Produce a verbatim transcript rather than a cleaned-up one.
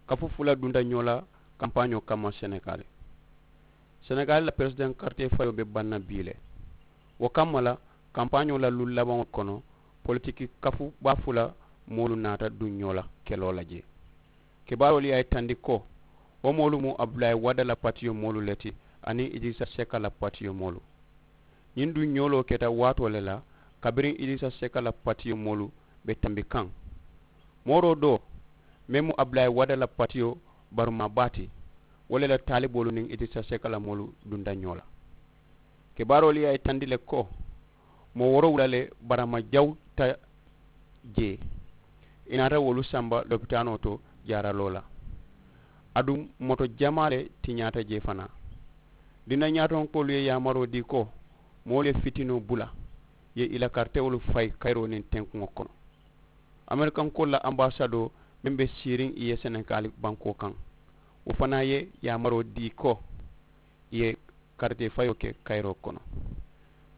Kafu fula dunta ñoo la kampaañoo kamma senegaali. Senegaali la peresidaŋ karitee fayoo be baŋ na bii le. Wo kamma la kampaañoo la luŋ labaŋo kono, politiki kafu baa fula moolu naata duŋ ñoo la keloo la jee. Kibaaroolu ye a yitandi ko wo moolu mu abdulaayi wada la patiyo moolu le ti, aniŋ idiriisa seka la patiyo moolu. Ñiŋ duŋ ñooloo keta waatoo le la, kabiriŋ idiriisa seka la patiyo moolu be tambi kaŋ. Mooroo doo meŋ mu abdulaayi wada la patiyo barumaa baa ti, wo le la taaliboolu niŋ idiriisa seka la moolu dunta ñoo la. Kibaaroolu ye a yitandi le ko moo woorowula le barama jawuta jee. I naata wolu samba lopitaanoo to jaaraloo la. Aduŋ moto jamaa le tiñaata jee fanaa. Dina ñaatonkoolu ye yaamaroo dii ko moolu ye fitinoo bula, ye i la karitewolu fayi kayiroo niŋ tenkuŋo kono. Amerikankoolu la ambaasadoo meŋ be siiriŋ i ye senegaali bankoo kaŋ, wo fanaa ye yaamaroo dii ko i ye karitee fayoo ke kayiroo kono.